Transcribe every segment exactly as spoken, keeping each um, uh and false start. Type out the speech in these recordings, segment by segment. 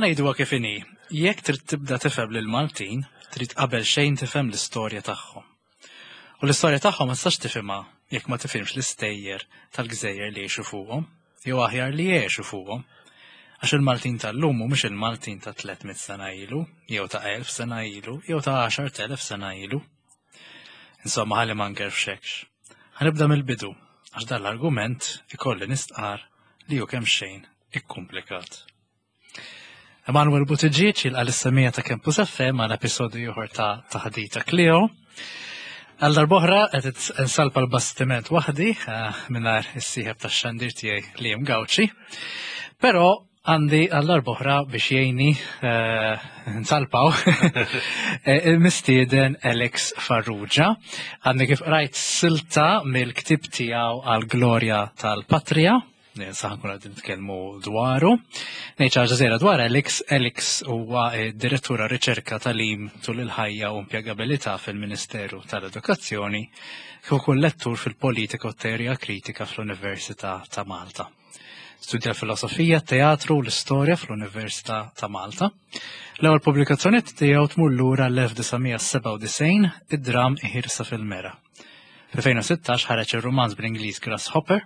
Ħa ngħiduha kif inhi, jekk trid tibda tifhem lil Maltin, trid qabel xejn tifhem l-istorja tagħhom. U l-istorja tagħhom ma tistax tifhimha jekk ma tifhimx l-istejjer tal-gżejjer li jgħixu fuqhom, jew aħjar li jgħixu fuqhom. Għax il-Maltin tal-lum mhumiex il-Maltin ta' tliet mitt sena ilu, jew ta' elf sena ilu, jew ta' għaxart elef sena ilu. Insomma, ħalli ma ngerfxekx. Ħa nibda mill-bidu, għax dan l-argument ikolli nistqar li hu kemm xejn ikkumplikat. Emanuel Buttigieg jilqa' lis-semmiegħa ta' Campus F M għal episodju ieħor ta' Taħdita Kleo. Għal darb'oħra qed nsalpa l-bastiment waħdi eh, mingħajr is-sieħeb tax-xandir tiegħi li hemm Gawċi. Però għandi għal darb'oħra biex jgħinni eh, nsalpaw eh, il-mistieden Alex Farrugia. Għandi kif rajt silta mill-ktib tiegħu Għal Glorja tal-Patria, sa ħa nkunu qegħdin nitkellmu dwaru. Ngħid ħaġa żgħira dwar Alex. Alex huwa direttur riċerka, tagħlim tul il-ħajja u impjegabilità fil-Ministeru tal-Edukazzjoni, kif ukoll lettur fil-politika u teorija kritika fl-Università ta' Malta. Studja filosofija, teatru u l-istorja fl-Università ta' Malta. L-ewwel pubblikazzjoni tiegħu tmur lura l-elf disa' mija sebgħa u disgħin, id-dram Iħirsa fil-Mera. Fl-elfejn u sittax ħareġ ir-romanz bl-Ingliż Grasshopper.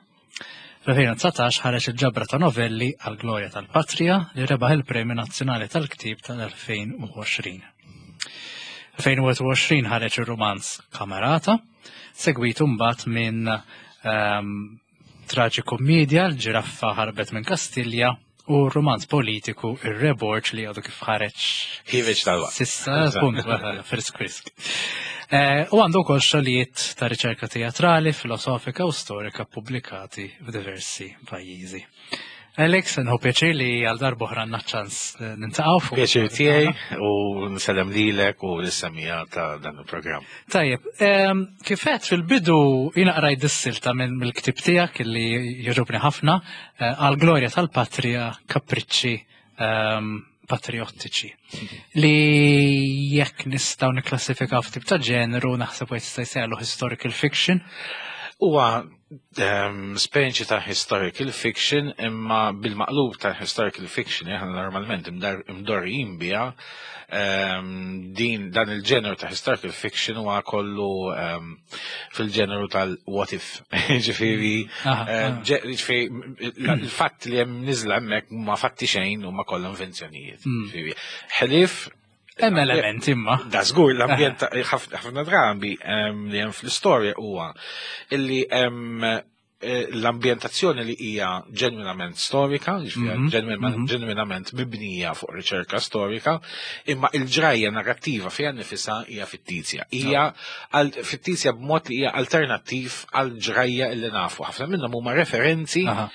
Fl-elfejn u dsatax ħareġ il-ġabra ta' novelli Għal Glorja tal-Patria li rebaħ il-Premju Nazzjonali tal-Ktib tal-elfejn u għoxrin. elfejn u wieħed u għoxrin ħareġ ir-romanz Kamerata, segwitu mbagħad minn um, traġikomedja L-Ġiraffa Ħarbet minn Kastilja u romanz politiku Ir-Re Borg li għadu kif ħareġ. Ħiereġ tal Sissa, punt, frisk frisk. Eh, u għandu wkoll xogħlijiet ta' riċerka teatrali, filosofika u storika pubblikati f'diversi pajjiżi. Alex, nieħu pjaċir li għal darb'oħra għandna ċans eh, niltaqgħu fuq. Pjaċir tiegħi u nsellem lilek u lis-semmiegħa ta' dan il-programm. Tajjeb, em, kif għedt fil-bidu, jiena qrajt dis-silta minn mill-ktib tiegħek li jogħġobni ħafna, eh, Għal Glorja tal-Patria, Kapriċċi em, Patriottiċi. Li jekk nistgħu nikklassifikaw f'tip ta' ġeneru, naħseb għajt jista' jsejħlu historical fiction. Huwa um, speċi ta' historical fiction, imma bil-maqlub ta' historical fiction aħna normalment imdar- imdorrijin biha um, din dan il-ġeneru ta' historical fiction huwa kollu um, fil-ġeneru tal-what if. Ġifieri Aha, eh, aha. ġe- ġifieri il-fatt li hemm niżla hemmhekk ma fatti xejn u ma kollha invenzjonijiet. Mm. Ġifieri, ħlief Hemm elementi imma. Da żgur, l-ambjent ta' ħaf- ħafna drabi em, li hemm fl-istorja huwa illi hemm eh, l-ambjentazzjoni li hija ġenwinament storika, ġifieri Mhm, ġenwinament mhm. ġenwinament mibnija fuq riċerka storika, imma il-ġrajja narrattiva fiha nifisha hija fittizja. Hija għal- fittizja b'mod li hija alternattiv għal ġrajja li nafu. Ħafna minnhom huma referenzi Aha.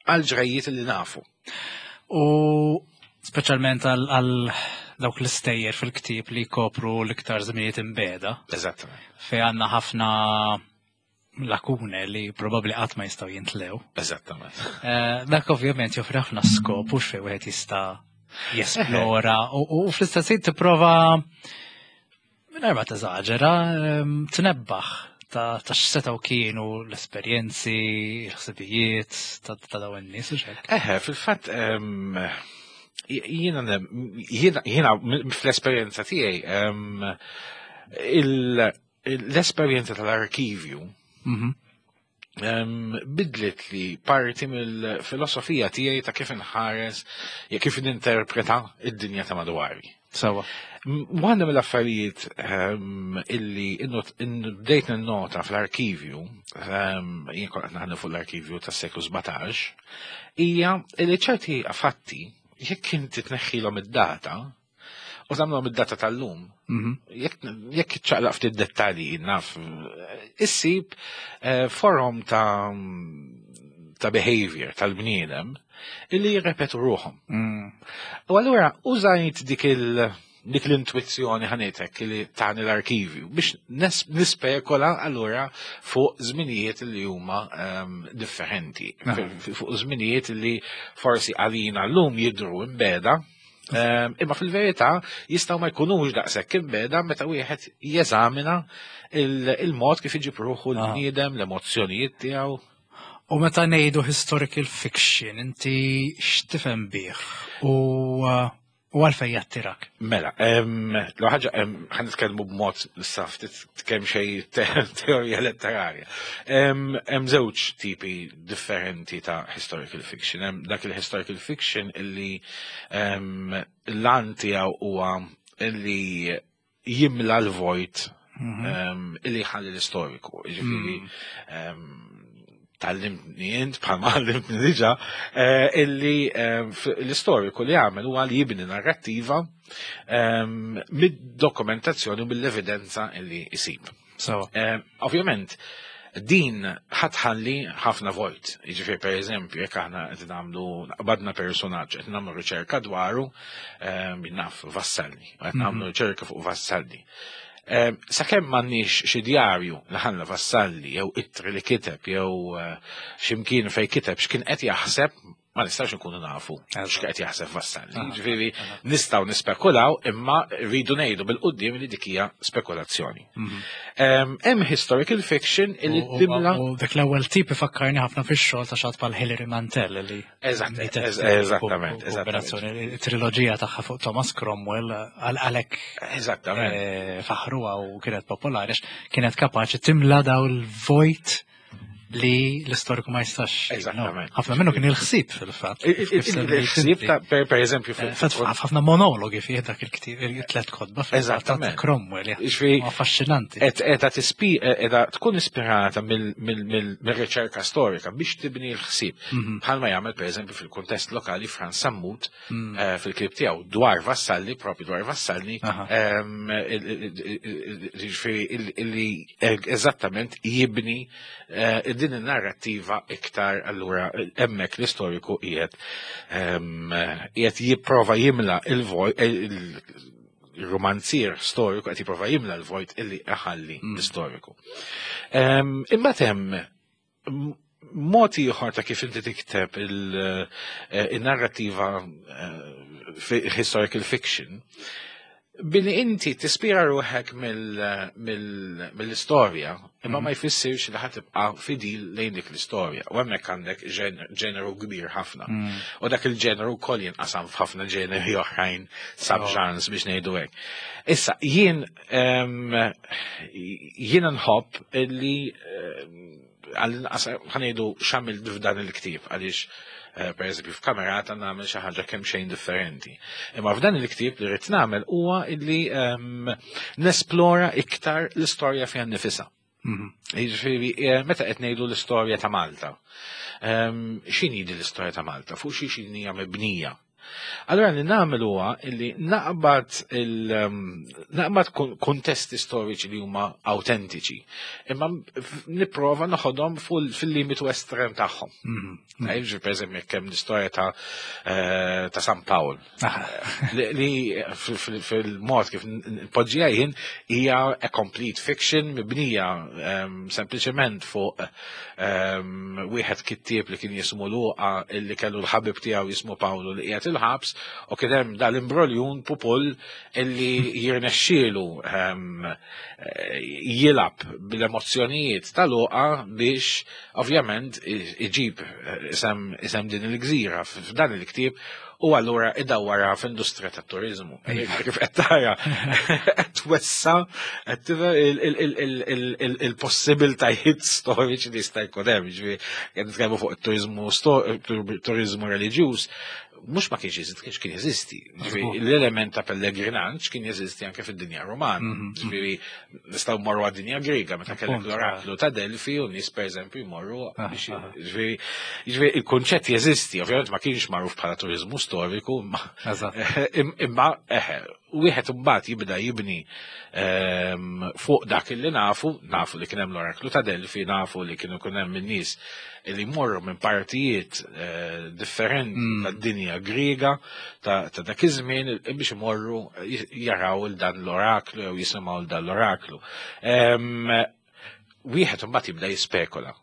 għal ġrajjiet li nafu. U speċjalment għal għal dawk l-istejjer fil-ktib li jkopru l-iktar żminijiet imbegħda, Eżattament. fej għandna ħafna lakune li probabli qatt ma jistgħu jintlew. Eżattament. Eh, Dak ovvjament joffri ħafna skop u xfej wieħed jista' jesplora u u fl-istess ħin tipprova, mingħajr ma teżaġera, ehm, tnebbaħ ta' ta' x'setgħu kienu l-esperjenzi, l-ħsibijiet ta' ta' dawn in-nies u x'hekk. Eħe, fil-fatt, em, jiena jiena jiena fl-esperjenza tiegħi em, il- l-esperjenza tal-arkivju Mhm. em, bidlet li parti mill-filosofija tiegħi ta' kif inħares, ja kif ninterpreta id-dinja ta' madwari. Sawa. M- Waħda mill-affarijiet em, illi innu- in- bdejt nota fl-arkivju, em, jien kont qed naħdem fuq l-arkivju tas-seklu sbatax, hija li ċerti fatti, jekk inti tneħħilhom id-data u tagħmlhom id-data tal-lum, Mhm. jekk jekk ċaqlaq ftit dettalji naf, issib eh, forom ta' ta' behavior tal-bniedem illi jirrepetu ruħhom. Mm. U allura użajt dik il dik l-intuizzjoni ħanetek li tani l-arkivju biex nes- nispekola allura fuq żminijiet li huma um, differenti, Aha. F- fuq żminijiet li forsi għalina llum jidru imbegħda, um, imma fil-verità jistgħu ma jkunux daqshekk imbegħda meta wieħed jeżamina il- il-mod kif iġib ruħu Aha. l-bniedem, l-emozzjonijiet tiegħu. U meta ngħidu historical fiction, inti x'tifhem bih? U uh, U għalfejn jattirak? Mela, l ħaġa ħa nitkellmu b'mod issa ftit kemm xejn teorija letterarja. Hemm żewġ tipi differenti ta' historical fiction. Hemm dak il-historical fiction illi l-għan tiegħu huwa illi jimla l-vojt mhm. illi ħalli l-istoriku. Ġifieri mm. tgħallimtni int, bħalma għallimtni diġà, eh, illi eh, l-istoriku li għamel huwa li jibni narrattiva ehm, mid-dokumentazzjoni u mill-evidenza illi jisib. Eh, ovvjament, din ħa tħalli ħafna vojt. Jiġifieri, per eżempju, jekk aħna qed nagħmlu qbadna personaġġ, qed nagħmlu riċerka dwaru, naf, Vassalli, qed nagħmlu mhm. riċerka fuq Vassalli. Sakemm m'għandniex xi djarju li ħalla Vassalli jew ittri li kiteb jew eh, x'imkien fej kiteb x'kien qed jaħseb, ma nistax nkunu nafu x'qed jaħseb Vassalli. Ġifieri nistgħu nispekulaw, imma rridu ngħidu bil-quddiem li dik hija spekulazzjoni. Mhm. Hemm historical fiction illi timla. U dak l-ewwel tip ifakkarni ħafna fix-xogħol ta' xi ħadd bħal Hilary Mantel li Eżattament, eżattament. Triloġija tagħha fuq Thomas Cromwell għalhekk Eżattament. Eh, faħruha u kienet popolari, kienet kapaċi timla daw il-vojt li l-istoriku ma jistax. Eżattament. Ħafna minnu kien il-ħsieb fil-fatt. Il-ħsieb ta' per eżempju. Ħafna monologi fih dak il-ktieb, il-tlet kotba Eżattament. Cromwell. Affaxxinanti. Edha tispi, edha tkun ispirata mill-riċerka storika biex tibni l-ħsieb. Mhm. Bħalma jagħmel, per eżempju, fil-kuntest lokali Frans Sammut mm. eh, fil-ktieb tiegħu dwar Vassalli, propju dwar Vassalli, ġifieri eżattament jibni eh, din in-narrattiva iktar. Allura hemmhekk l-istoriku qiegħed qiegħed jipprova jimla il-vojt, il-romanzier storiku qed jipprova jimla l-vojt illi ħalli mm. l-istoriku. Imma hemm mod ieħor ta' kif inti tikteb eh, il-narrativa eh, historical fiction billi inti tispira ruħek mill-istorja, imma ma jfissirx li ħa tibqa' fidil lejn dik l-istorja. U hemmhekk għandek ġeneru kbir ħafna. Mm. U dak il-ġeneru koll jinqasam f'ħafna ġeneri oħrajn, subgenres biex ngħidu hekk. Issa, jien jien nħobb li għall-inqas ħa ngħidu x'għamilt f'dan il-ktieb, għaliex eh, per eżempju f'Kamerata nagħmel xi ħaġa kemm xejn differenti. Imma f'dan il-ktieb li rrid nagħmel huwa illi ehm, nesplora iktar l-istorja fiha nnifisha. Mhm. Jiġifieri eh, meta qed ngħidu l-istorja ta' Malta. Ehm, x'inhi din l-istorja ta' Malta? Fuq xi x'inhija mibnija? Allora li nagħmel huwa illi naqbad il um, naqbad kuntesti storiċi li huma autentiċi, imma nipprova noħodhom fil-limitu estrem tagħhom. Mhm. Jiġri, per eżempju, jekk hemm l-istorja ta' eh, ta' San Pawl. Li fil-mod kif npoġġiha jien hija a complete fiction mibnija ehm, sempliċement fuq ehm, wieħed kittieb li kien jismu Luqa illi kellu l-ħabib tiegħu jismu Pawlu li qiegħed il-ħabs u kien hemm dal-imbroljun Pupul illi jirnexxielu ehm, eh, jilgħab bil-emozzjonijiet ta' Luqa biex ovvjament iġib isem, isem din il-gżira f'dan il-ktieb u allura idawwara f'industrija tat-turizmu. Kif qed tara, qed twessa' qed il-possibiltajiet storiċi li jista' jkun hemm, ġifieri qed nitkellmu fuq it-turizmu turizmu reliġjuż, mhux ma kienx jeżisti, kienx kien jeżisti. L-element ta' pellegrinaġġ kien jeżisti anke fid-dinja Romana. Mhm. Ġifieri nistgħu mmorru għad-dinja Griega meta kellek l-oraklu ta' Delfi u nies, pereżempju, jmorru biex, ġifieri ġifieri il-kunċett jeżisti, ovvjament ma kienx magħruf bħala turizmu storiku, imma eħe, wieħed imbagħad jibda jibni ehm, fuq dak li nafu, nafu li kien hemm l-oraklu ta' Delfi, nafu li kienu kien hemm in-nies li jmorru minn partijiet eh, differenti mm. tad-dinja Griega ta' dak iż-żmien biex imorru jaraw il dan l-oraklu jew jisimgħu l dan l-oraklu. Ehm, wieħed imbagħad jibda jispekula,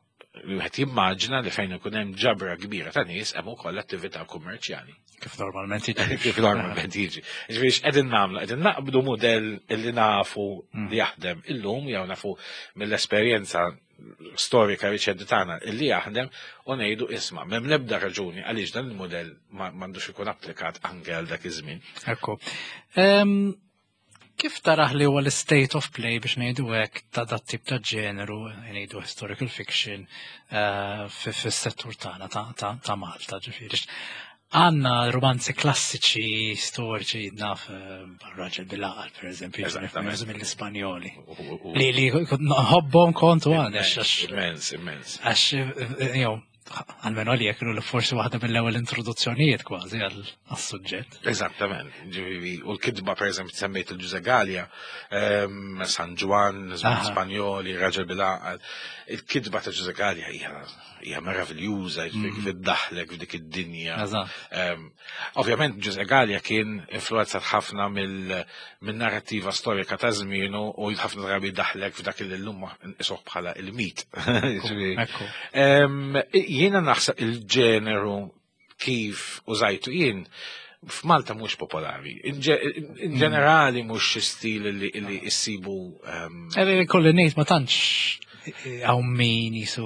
wieħed jimmaġina li fejn ikun hemm ġabra kbira ta' nies hemm ukoll attività kummerċjali. Kif normalment jiġi. Kif normalment jiġi. Ġifieri x'qegħdin nagħmlu? Qegħdin naqbdu mudell li nafu mm. li jaħdem illum jew nafu mill-esperjenza storika riċenti tagħna illi jaħdem u ngħidu isma' m'hemm l-ebda raġuni għaliex dan il-modell m'għandux ikun applikat anke għal dak iż-żmien. Ekku. Em, Kif taraħ li huwa l-state of play biex ngħidu hekk ta' dat tip ta' ġeneru, ngħidu historical fiction, eh, fi- fis-settur tagħna ta' ta' ta' Malta, ġifieri. Għandna romanzi klassiċi storiċi naf eh, Raġel bil-Għaqal, per eżempju, Eżattament. mill-Ispanjoli. U- u- Li li nħobbhom kontu għanex, għax Immens, immens. għax, eh, jew, almenu għalija kienu li forsi waħda mill-ewwel introduzzjonijiet kważi għal-suġġett. Eżattament, ġifieri, u l-kitba per eżempju semmejt il-Ġużè Galea, ehm, San Ġwann, żmien Aha. Spanjoli, Raġel bil-Għaqal. Il-kitba ta' Ġużè Galea hija hija meraviljuża, ġifieri kif iddaħlek f'dik id-dinja. Eżatt. Ehm, Ovvjament Ġużè Galea kien influenzat ħafna mill-narrativa storika ta' żmienu u ħafna drabi daħlek f'dak li llum nqisuh bħala il-mit. Ġifieri, Ekku. Em, Jiena naħseb il-ġeneru kif użajtu jien f'Malta mhux popolari. In ġe- in ġenerali mhux xi stil li li issibu em, Eh, Kolli ngħid ma tantx hawn min jisu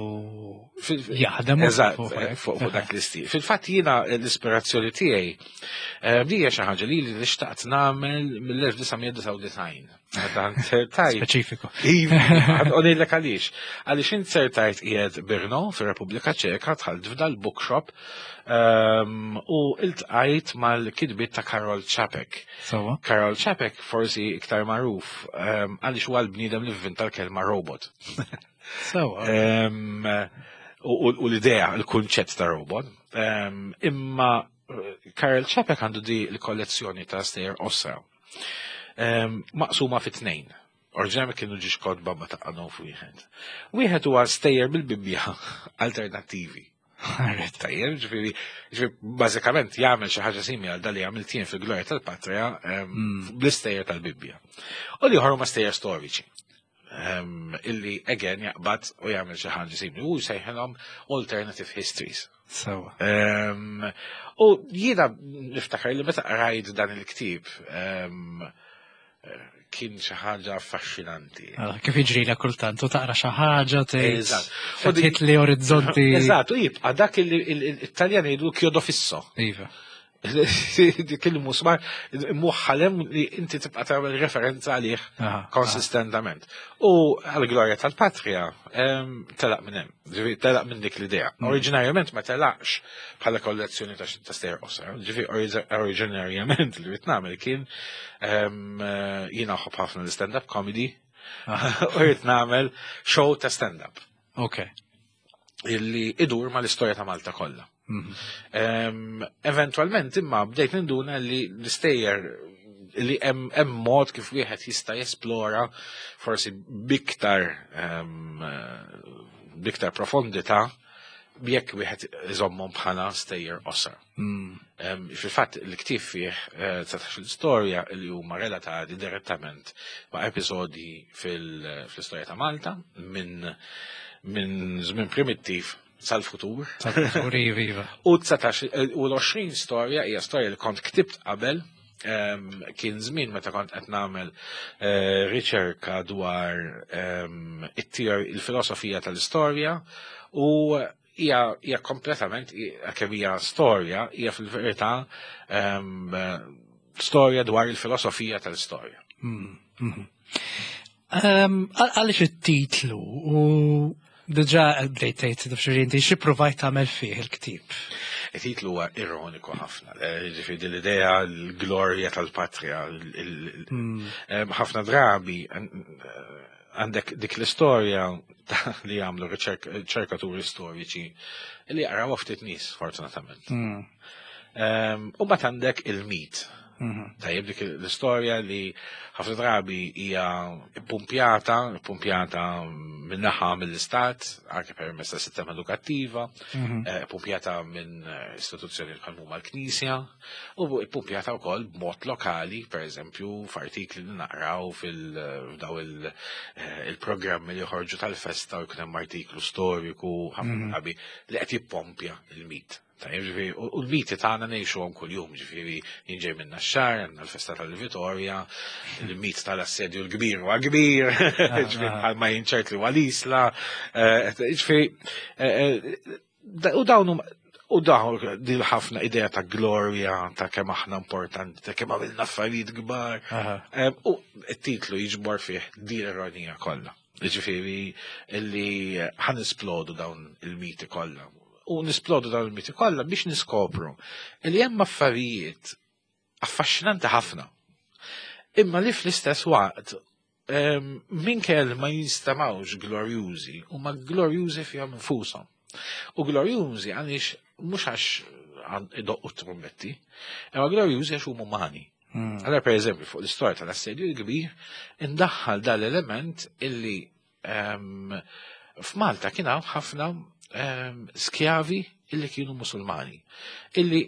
fil- jaħdem Eżatt, fuq eh, hekk. fuq fuq dak l-istil. Fil-fatt jiena l-ispirazzjoni tiegħi eh, di hija xi ħaġa li li xtaqt nagħmel mill-elf disa' mija disgħa u disgħin. Meta nzertajt Speċifiku. Iva, għonillek għaliex. Għaliex inzertajt qiegħed Brno fir-Repubblika Ċeka, dħalt f'dal bookshop um, u iltqajt mal-kitbiet ta' Karol Čapek. Sewwa. Karol Čapek forsi iktar magħruf um, għaliex huwa l-bniedem li vvinta l-kelma robot. Sewwa. Um, u, u u l-idea, il-kunċett ta' robot. Um, imma eh, Karel Čapek għandu di l-kollezzjoni ta' stejjer qosra. Um, maqsuma fi tnejn. Oriġinali kienu ġiex kotba ma taqgħu wieħed. Wieħed huwa stejjer bil-Bibbja alternattivi. Alright. Tajjeb, ġifieri, ġifieri, bażikament jagħmel xi ħaġa simili għal dali għamilt jien fil-Glorja tal-Patria em, bl-istejjer tal-Bibbja. U l-ieħor huma stejjer storiċi. Em, illi again jaqbad u jagħmel xi ħaġa simili u jsejħilhom alternative histories. Sewwa. Em, U jiena niftakar li meta qrajt dan il-ktieb em, kien xi ħaġa affaxxinanti. Ah, kif jiġri la kultant, u taqra xi ħaġa tgħid. Eżatt. U di- Fetħit li orizzonti. Eżatt, u jibqa' dak il- il- il-Taljan jgħidu chiodo fisso. Iva. Dik il-musmar muħħalem li inti tibqa' tagħmel referenza għalih Aha, konsistentament. U għal-glorja tal-patria em, telaq minn hemm, ġifieri telaq minn dik l-idea. Oriġinarjament ma telaqx bħala kollezzjoni ta' ta' stejjer qosra, ġifieri oriġ- oriġinarjament li rrid nagħmel kien em, eh, jiena nħobb ħafna l-stand-up comedy u rrid nagħmel show ta' stand-up Ok. illi idur ma l-istorja ta' Malta kollha. Mhm. Um, eventualment imma bdejt ninduna li l-istejjer li hemm hemm mod kif wieħed jista' jesplora forsi biktar um, biktar profondità jekk wieħed iżommhom bħala stejjer qosra. Mm. Um, Fil-fatt il-ktieb fih eh, dsatax-il storja li huma relatati direttament ma' episodi fil- fl-istorja ta' Malta minn minn żmien primittiv sal-futur. Sal-futur, iva, iva. U dsatax u l-għoxrin storja hija storja li kont ktibt qabel, em, kien żmien meta kont qed nagħmel eh, riċerka dwar em, it-teor- il-filosofija tal-istorja u hija hija kompletament kemm hija storja, hija fil-verità em, storja dwar il-filosofija tal-istorja. Mm, mhm. Ehm, għal- Għaliex it-titlu u diġà bdejt tgħid xi inti xi provajt tagħmel fih il-ktieb? Il-titlu huwa ironiku ħafna, eh, ġifieri din l-idea l-glorja tal-patria, il- il- Mm. Em, ħafna drabi en- għandek dik l-istorja ta' li jagħmlu riċerk- riċerkaturi storiċi li jaqraw ftit nies fortunatament. Mm. Em, U mbagħad għandek il-mit. Mhm. Tajjeb, dik l-istorja li ħafna drabi hija pumpjata, pumpjata minn-naħa mill-istat, anke permezz ta' sistema edukattiva, Mhm. eh, pumpjata minn eh, istituzzjoni bħal huma l-Knisja, u pumpjata wkoll b'mod lokali, per eżempju, f'artikli li naqraw fil-daw il- eh, il-programmi li joħorġu tal-festa u jkun hemm artiklu storiku ħafna drabi li qed jippompja il-mit. Tajjeb, ġifieri, u u l-miti tagħna ngħixuhom kuljum, ġifieri jien ġej minn Naxxar, għandna l-festa tal-Vitorja, il-mit tal-assedju l-kbir huwa kbir, ġifieri bħalma jinċert li huwa l-Isla, eh, ġifieri, eh, eh, da- u dawn huma- u dawn din ħafna idea ta' glorja, ta' kemm aħna importanti, ta' kemm għamilna affarijiet kbar. Aha. Em, U t-titlu jiġbor fih din l-ironija kollha. Ġifieri illi ħa nisplodu dawn il-miti kollha. U nisplodu dawn il-miti kollha biex niskopru illi hemm affarijiet affaxxinanti ħafna. Imma li fl-istess waqt em, minkejja ma jinstemgħux glorjużi, huma glorjużi fihom infushom. U glorjużi għaliex mhux għax għan- idoqqu trumbetti, imma glorjużi għax huma umani. Mm. Allora, per eżempju, fuq l-istorja tal-assedju l-kbir, indaħħal dal-element illi em, f'Malta kien hawn ħafna em, skjavi illi kienu musulmani, illi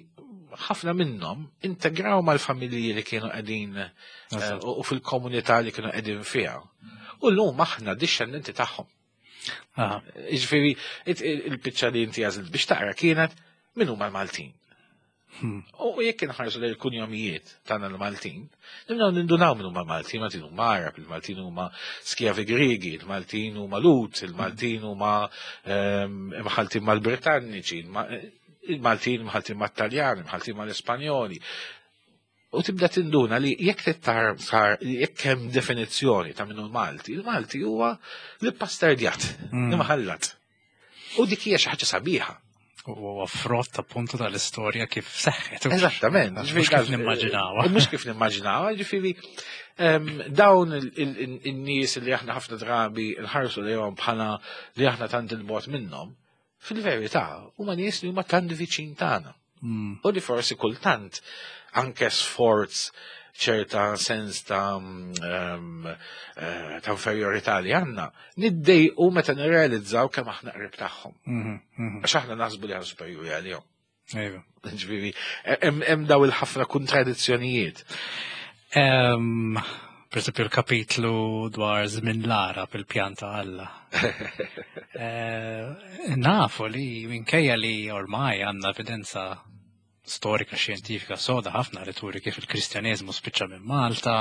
ħafna minnhom integraw mal-familji li kienu qegħdin eh, Eżatt. u u fil-komunità li kienu qegħdin fiha. U llum aħna dixxendenti tagħhom. Aha. Ġifieri, it- il- il-biċċa li inti għażilt biex taqra kienet min huma l-Maltin. Hmm. U jekk inħarsu lejn il-kunjomijiet tagħna l-Maltin, nibdew nindunaw min huma Maltin, Maltin huma Arab, il-Maltin huma skjavi Griegi, il-Maltin huma Lhud, il-Maltin huma ehm, imħaltin mal-Britanniċi, il-Maltin imħaltin mat-Taljani, imħaltin mal-Ispanjoli. U tibda tinduna li jekk tittar sar jekk hemm definizzjoni ta' minnu l-Malti, il-Malti huwa l-pastardjat, Mm. l-imħallat. U dik hija xi ħaġa sabiħa. U huwa frott appuntu tal-istorja kif seħħet. Eżattament. Mhux kif nimmaġinawha. Mhux kif nimmaġinawha, ġifieri em, dawn il- il- il-nies li aħna ħafna drabi nħarsu lejhom bħala li aħna tant il-bogħod minnhom, fil-verità huma nies li huma tant viċin tagħna. Mm. U li forsi kultant anke sforz ċerta sens ta' mm, eh, ta' inferiorità li għandna, niddejqu meta nirrealizzaw kemm aħna qrib tagħhom. Mhm, mhm. Għax aħna naħsbu li aħna superjuri għalihom. Ejwa. Ġifieri, hemm hemm daw il-ħafna kontradizzjonijiet. Em, Per esempio il-kapitlu dwar żmien l-Għarab il-pjan ta' Alla. Eh, Nafu li minkejja li ormai għandna evidenza storika xjentifika soda ħafna li turi kif il-Kristjaneżmu spiċċa minn Malta,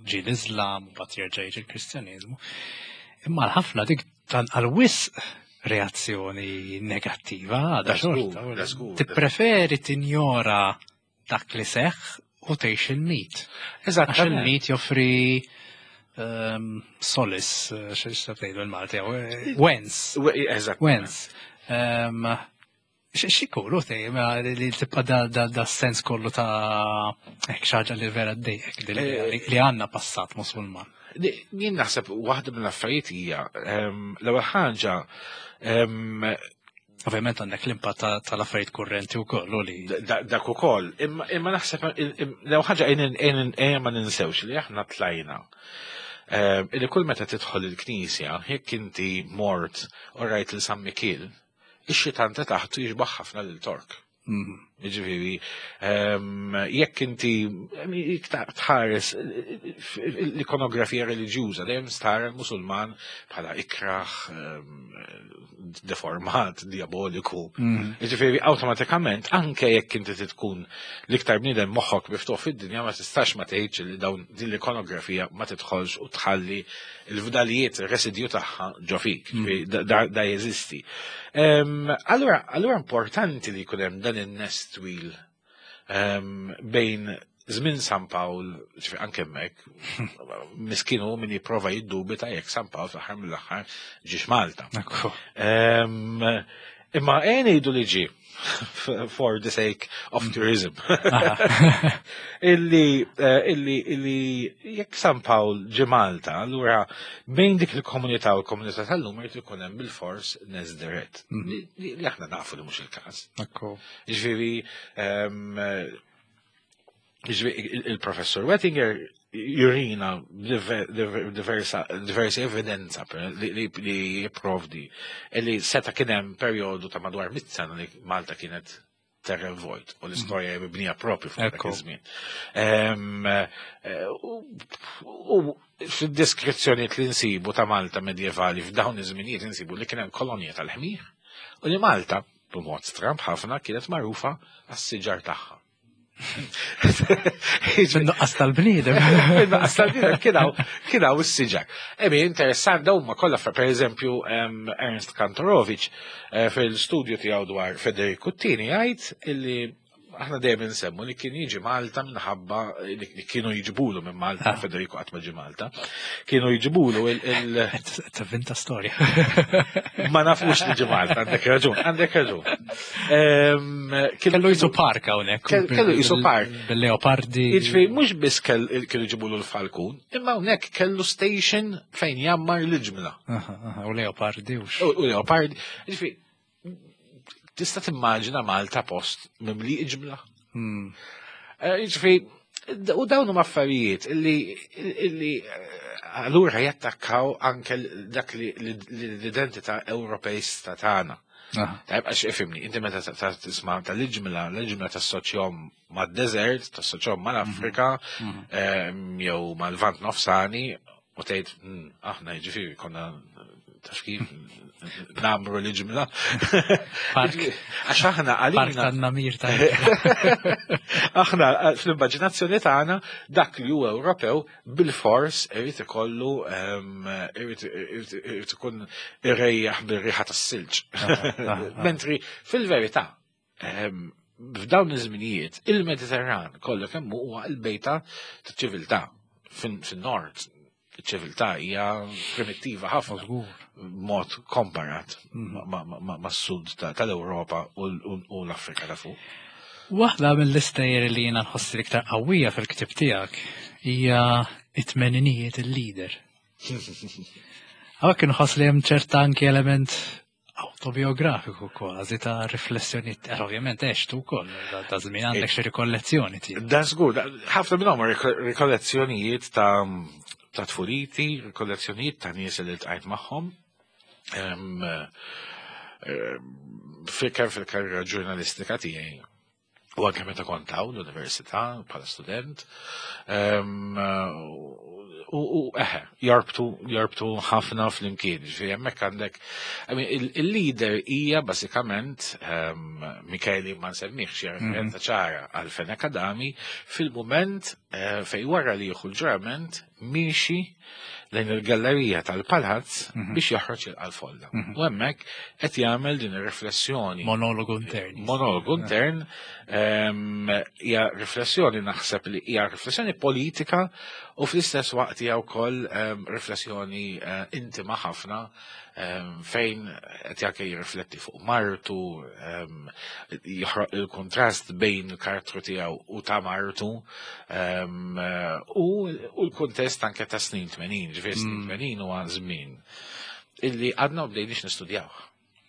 ġi l-Islam, u mbagħad jerġa' jiġi l-Kristjaneżmu. Imma l-ħafna dik tan għal-wisq reazzjoni negattiva għadha Da żgur, xorta. da żgur. Tippreferi tinjora dak li seħħ u tgħix il-mit. Għax il-mit joffri um, solis, eh, x'tgħidu il-Malti, eh, wens, Eżatt. wens. Um, X'ikunu tej, ma li li tibqa da, da, da sens kollu ta' hekk xi ħaġa li vera ddejqek li, li, li għandna passat musulman. Di- Jien naħseb waħda mill-affarijiet hija em, l-ewwel ħaġa em, Ovvjament għandek l-impatt ta- tal-affarijiet kurrenti wkoll u li da- dak ukoll, imma imma naħseb l-ewwel ħaġa ejja ma ninsewx li aħna tlajna. Em, Illi kull meta tidħol il-knisja, jekk inti mort u rajt lil San Mikiel, ix-xitan ta' taħtu jixbaħ ħafna lil Tork. Mm. Ġifieri, em, jekk inti jekk ta- tħares l-ikonografija reliġjuża dejjem stara l-Musulman bħala ikraħ, em, deformat, diaboliku. Mm. Ġifieri, awtomatikament, anke jekk inti tkun l-iktar bniedem moħħok miftuħ fid-dinja ma tistax ma tgħidx li dawn din l-ikonografija ma tidħolx u tħalli l-fdalijiet, il-residju tagħha ġo fik. Ġifieri, Da, da, da jeżisti. Em, Allura, allura importanti li jkun hemm dan in-nest twil em, bejn żmien San Pawl, ġifieri anke hemmhekk, miskin hu min jipprova jiddubita jekk San Pawl fl-aħħar mill-aħħar ġiex Malta. Ekku. Em, Imma ejja ngħidu li ġi for the sake of tourism. Illi, eh, illi, illi jekk San Pawl ġi Malta, allura bejn dik il-komunità u l-komunità tal-lum irid ikun hemm bil-fors nes dirett. Li li- li aħna nafu li mhux il-każ. Ekku. Ġifieri, em, ġifieri, il- il-professor Wettinger jurina diver- diver- diversa diversi evidenza per- li, li, li jipprovdi li seta kien hemm perjodu ta' madwar mit sena li Malta kienet terra vojt u l-istorja hija mibnija propju fuq dak Ekku. iż-żmien. Em, eh, U u fid-deskrizzjonijiet li nsibu ta' Malta medjevali f'dawn iż-żminijiet insibu li kien hemm kolonja tal-ħmir u li Malta b'mod stramb ħafna kienet magħrufa għas-siġar tagħha. Fin-nuqqas tal-bniedem. Fin-nuqqas tal-bniedem kien hawn kien hawn is-siġar. Emi interessant dawn huma kollha, per eżempju, Ernst Kantorowicz eh, fil-studju tiegħu dwar Federico Tini jgħid illi aħna dejjem insemmu li kien jiġi Malta minħabba li kienu jiġbulu minn Malta, ah. Federico qatt ma ġie Malta, kienu jiġbulu il- Tavvinta storja. Ma nafux li ġie Malta, għandek raġun, għandek raġun. Kellu jisu park hawnhekk. Kellu jisu park. Bil-leopardi. Jiġifieri mhux biss kienu jġibulu l-falkun, imma hawnhekk kellu station fejn jammar l-ġmla. U leopardi u leopardi. Jiġifieri tista' timmaġina Malta post mimli iġmla. Hmm. Eh, jiġifieri, u dawn huma affarijiet illi illi eh, allura jattakkaw anke dak li l-identità Ewropejsta tagħna. Tajb, għax ifhimni, inti meta tisma' tal-iġmla, l-iġmla tassoċjahom mad-desert, tassoċjahom mal-Afrika, mhm. Mhm. jew mal-Lvant Nofsani, u tgħid hmm, aħna jiġifieri konna, taf kif, namru l-ġimla. Park. Għax aħna għalina. Park tan-namir ta' Aħna fl-immaġinazzjoni tagħna dak li huwa Ewropew bil-fors irid ikollu irid ikun irejjaħ bir-riħa tas-silġ. Mentri fil-verità f'dawn iż-żminijiet il-Mediterran kollu kemm huwa l-bejta ta' ċiviltà. Fin-nord ċiviltà hija primittiva ħafna mod komparat mhm. mas-sud tal-Ewropa u l-Afrika ta' fuq. Waħda mill-istejjer li jiena nħossi l-iktar qawwija fil-ktib tiegħek hija it-tmeninijiet, il-leader. Hawnhekk inħoss li hemm ċerta anki element autobiografiku kważi ta' riflessjoni, eh, ovvjament għextu wkoll da żmien, għandek xi rikollezzjoni tiegħek. Da żgur, ħafna minnhom rikollezzjonijiet ta' ta' tfuliti, rikollezzjonijiet ta' nies li ltqajt magħhom. Em, eh, Fil fil-karriera ġurnalistika tiegħi u anke meta kont hawn l-università bħala student. Em, U u eħe, jarbtu, jarbtu ħafna flimkien. Ġifieri hemmhekk għandek, I mean, il- il-leader hija bażikament um, Micheli ma nsemmihx, hija referenza ċara għal Fenech Adami fil-moment eh, fej wara li jieħu l-ġurament miexi lejn il-gallerija tal-palazz biex joħroġ il-folla. U hemmhekk qed jagħmel din ir-riflessjoni. Monologu intern. Monologu intern em, hija riflessjoni, naħseb li hija riflessjoni politika u fl-istess waqt hija wkoll em, riflessjoni eh, intima ħafna em, fejn qed jake jirrifletti fuq martu, em, joħroq il-kontrast bejn il-karattru tiegħu u ta' martu em, eh, u u l-kuntest anke ta' snin tmenin, ġifieri snin tmenin huwa żmien illi għadna ma bdejniex nistudjaw.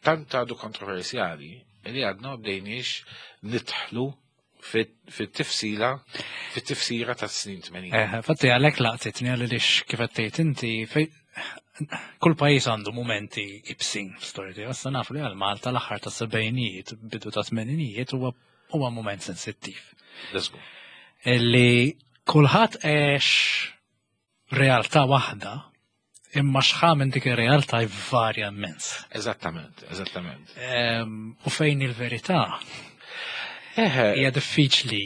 Tant għadu kontroversjali illi għadna ma bdejniex nidħlu fit-tifsila, fit-tifsira ta' snin tmenin. Eh, fatti għalhekk laqtitni, għaliex kif qed tgħid inti, fej kull pajjiż għandu momenti ibsin f'storja tiegħu. Issa nafu li għal Malta l-aħħar ta' sebgħinijiet, bidu ta' tmeninijiet huwa huwa moment sensittiv. Let's go. Illi kulħadd għex realtà waħda, imma x'ħa minn dik ir-realtà jvarja immens. Eżattament, eżattament. Em, U fejn il-verità Eħe, hija diffiċli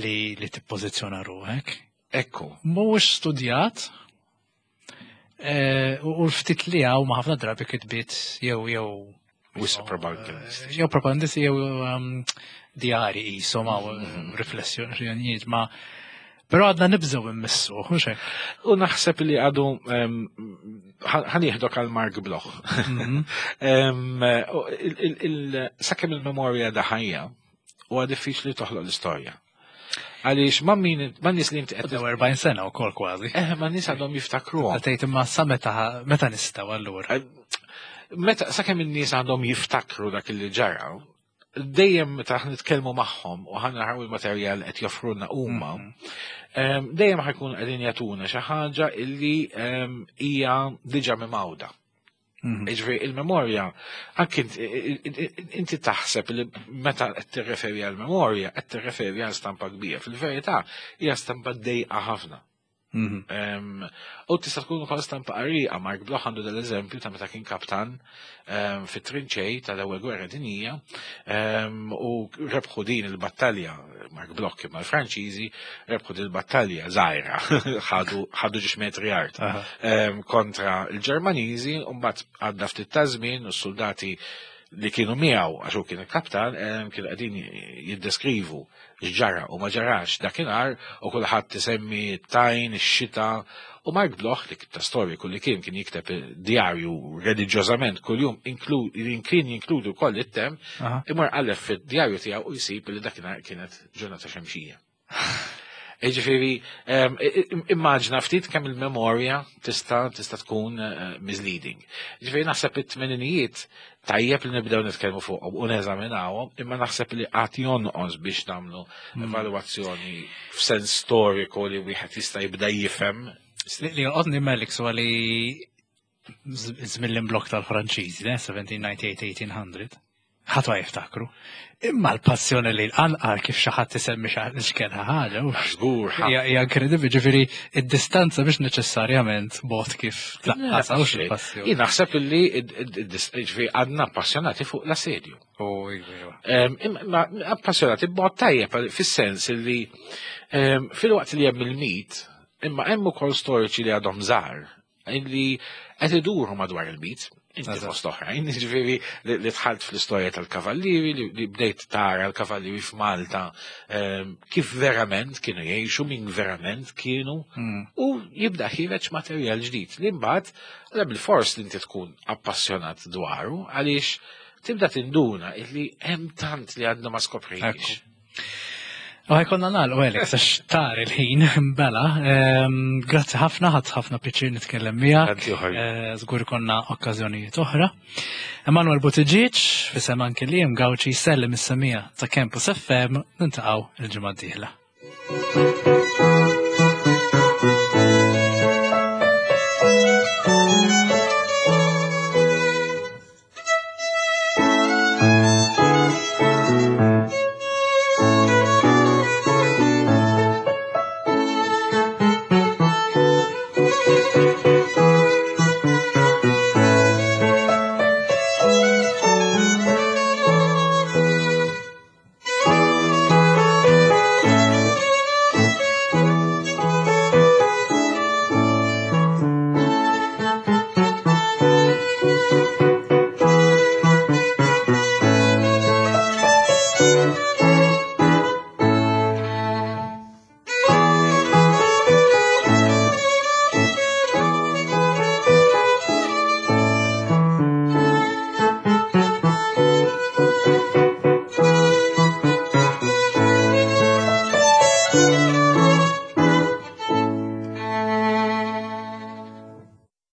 li li tippożizzjona ruħek. Ekku. Mhuwiex studjat eh, u u l-ftit li hawn ma ħafna drabi kitbiet jew jew Wisq propagandisti. Jew propagandisti jew um, djari qishom hawn riflessjonijiet, ma però għadna nibżgħu immissu, hux hekk? U naħseb li għadu em, ħa nieħdok għal Marc Bloch. Em, u il- il- il- Sakemm il-memorja da ħajja, huwa diffiċli toħloq l-istorja. Għaliex ma' min ma' nies li inti qed Għaddew erbgħin sena wkoll kważi. Eh, ma' nies għadhom jiftakruhom. Tgħid imma sa meta meta nistgħu allura? Meta sakemm in-nies għandhom jiftakru dak li ġara, dejjem meta aħna nitkellmu magħhom u ħa naraw il-materjal qed joffrulna huma, em, dejjem ħa jkunu qegħdin jagħtuna xi ħaġa illi em, hija diġà mimgħuda. Mhm. Ġifieri il-memorja, anki inti- inti taħseb li meta qed tirreferi għal memorja, qed tirreferi għal stampa kbira. Fil-verità hija stampa dejqa ħafna. Mhm. Em, U tista' tkun ukoll stampa qarrieqa. Marc Bloch għandu dal-eżempju ta' meta kien kaptan em, fit-trinċej tal-Ewwel Gwerra Dinjija em, u rebħu din il-battalja, Marc Bloch imma l-Franċiżi rebħu din il-battalja żgħira, ħadu ħadu ġiex metri art Aha. em, kontra l-Ġermaniżi, u mbagħad għadda ftit ta' żmien u s-soldati li kienu miegħu, għax hu kien il-kaptan, em, kienu qegħdin jiddeskrivu x'ġara u ma ġarax dakinhar u kulħadd isemmi t-tajn, ix-xita, u Marc Bloch, li ta' storiku li kien kien jikteb djarju reliġjożament kuljum, inklu- kien jinkludi wkoll it-temp, Aha. imur qalleb fid-djarju tiegħu u jsib li dakinhar kienet ġurnata xemxija. Ġifieri, em, i- i- immaġina ftit kemm il-memorja tista' tista' tkun eh, misleading. Ġifieri naħseb it-tmeninijiet tajjeb li nibdew nitkellmu fuqhom u neżaminawhom, imma naħseb li qatt jonqos biex nagħmlu evalwazzjoni f'sens storiku li wieħed jista' jibda jifhem. Li li jolqotni Melix huwa li żmien l-imblokk tal-Franċiżi, ne, seventeen ninety-eight eighteen hundred. Ħadd ma jiftakru. Imma l-passjoni li l-qanqal kif xi ħadd isemmi xi x'kien ħaġa, u Żgur, ħafna. hija hija inkredibbli, ġifieri id-distanza biex neċessarjament bot kif tlaqqas hawnx il-passjoni. Jien naħseb li ġifieri għadna appassionati fuq l-assedju. U iva, iva. Em, Imma appassionati b'mod tajjeb, fis-sens li em, fil-waqt li hemm il-mit, imma hemm ukoll storiċi li għadhom żgħar li qed iduru madwar il-mit. Inti Eżatt. fost oħrajn, ġifieri li li dħalt fl-istorja tal-kavallieri, li li bdejt tara l-kavallieri f'Malta, em, kif verament kienu jgħixu, min verament kienu, Mm. u jibda ħiereġ materjal ġdid li mbagħad għal bil-fors li inti tkun appassjonat dwaru, għaliex tibda tinduna illi hemm tant li għadna ma skoprejniex. U ħa jkollna nagħlqu, Alex, għax tar il-ħin, bela. Ehm, Grazzi ħafna, ħadt ħafna pjaċir nitkellem miegħek. Tanti oħra. Eh, Żgur konna okkażjonijiet oħra. Emanuel Buttigieg, fisem anke li Gauci, sellem is-semmiegħa ta' Campus F M, niltaqgħu il-ġimgħa d-dieħla.